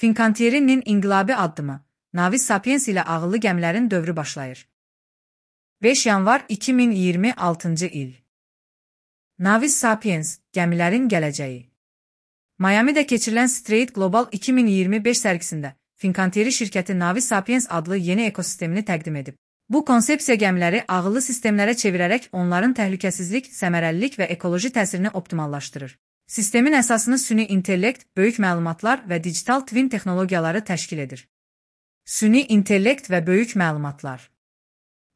Fincantieri'nin inqilabi addımı, Navis Sapiens ilə ağıllı gəmilərin dövrü başlayır. 5 yanvar 2026-cı il. Navis Sapiens, gəmilərin gələcəyi. Miami'də keçirilən Straight Global 2025 sərgisində Fincantieri şirkəti Navis Sapiens adlı yeni ekosistemini təqdim edib. Bu konsepsiya gəmiləri ağıllı sistemlərə çevirərək onların təhlükəsizlik, səmərəlilik və ekoloji təsirini optimallaşdırır. Sistemin əsasını süni intellekt, böyük məlumatlar və digital twin texnologiyaları təşkil edir. Süni intellekt və böyük məlumatlar.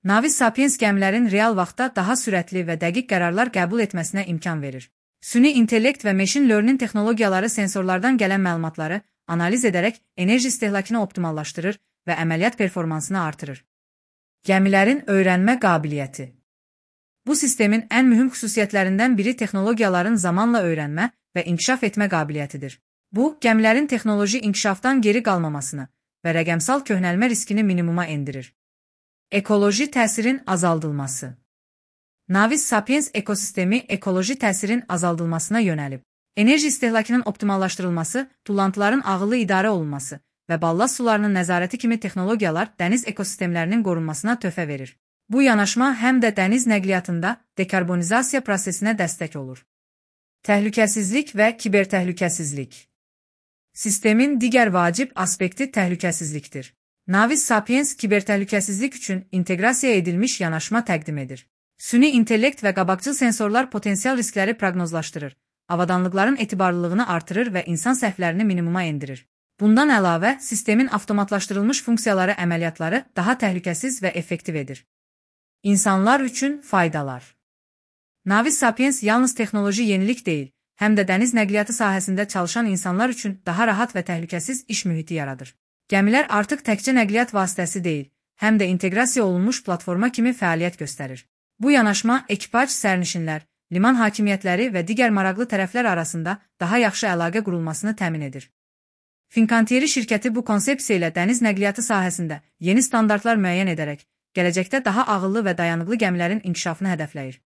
Navis Sapiens gəmilərin real vaxtda daha sürətli və dəqiq qərarlar qəbul etməsinə imkan verir. Süni intellekt və machine learning texnologiyaları sensorlardan gələn məlumatları analiz edərək enerji istehlakını optimallaşdırır və əməliyyat performansını artırır. Gəmilərin öyrənmə qabiliyyəti. Bu sistemin ən mühüm xüsusiyyətlərindən biri texnologiyaların zamanla öyrənmə və inkişaf etmə qabiliyyətidir. Bu, gəmilərin texnoloji inkişafdan geri qalmamasını və rəqəmsal köhnəlmə riskini minimuma endirir. Ekoloji təsirin azaldılması. Navis Sapiens ekosistemi ekoloji təsirin azaldılmasına yönəlib. Enerji istehlakının optimallaşdırılması, tullantıların ağıllı idarə olunması və ballast sularının nəzarəti kimi texnologiyalar dəniz ekosistemlərinin qorunmasına töhfə verir. Bu yanaşma həm də dəniz nəqliyyatında dekarbonizasiya prosesinə dəstək olur. Təhlükəsizlik və kibertəhlükəsizlik. Sistemin digər vacib aspekti təhlükəsizlikdir. Navis Sapiens kibertəhlükəsizlik üçün inteqrasiya edilmiş yanaşma təqdim edir. Süni intellekt və qabaqcıl sensorlar potensial riskləri proqnozlaşdırır, avadanlıqların etibarlılığını artırır və insan səhvlərini minimuma endirir. Bundan əlavə, sistemin avtomatlaşdırılmış funksiyaları əməliyyatları daha təhlükəsiz və effektiv edir. İnsanlar üçün faydalar. Navis Sapiens yalnız texnoloji yenilik deyil, həm də dəniz nəqliyyatı sahəsində çalışan insanlar üçün daha rahat və təhlükəsiz iş mühiti yaradır. Gəmilər artıq təkcə nəqliyyat vasitəsi deyil, həm də inteqrasiya olunmuş platforma kimi fəaliyyət göstərir. Bu yanaşma ekipaj, sərnişinlər, liman hakimiyyətləri və digər maraqlı tərəflər arasında daha yaxşı əlaqə qurulmasını təmin edir. Fincantieri şirkəti bu konsepsiya ilə dəniz nəqliyyatı sahəsində yeni standartlar müəyyən edərək, gələcəkdə daha ağıllı və dayanıqlı gəmilərin inkişafını hədəfləyir.